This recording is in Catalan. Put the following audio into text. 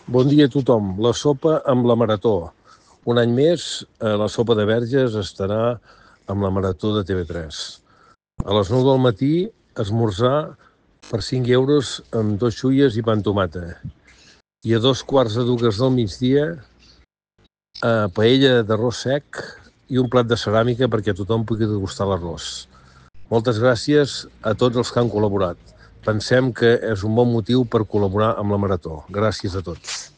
Bon dia a tothom. La sopa amb la Marató. Un any més, la sopa de Verges estarà amb la Marató de TV3. A les 9 del matí, esmorzar per 5 euros amb 2 xuies i pa amb tomata. I a 2:15 del migdia, paella d'arròs sec i un plat de ceràmica perquè tothom pugui degustar l'arròs. Moltes gràcies a tots els que han col·laborat. Pensem que és un bon motiu per col·laborar amb la Marató. Gràcies a tots.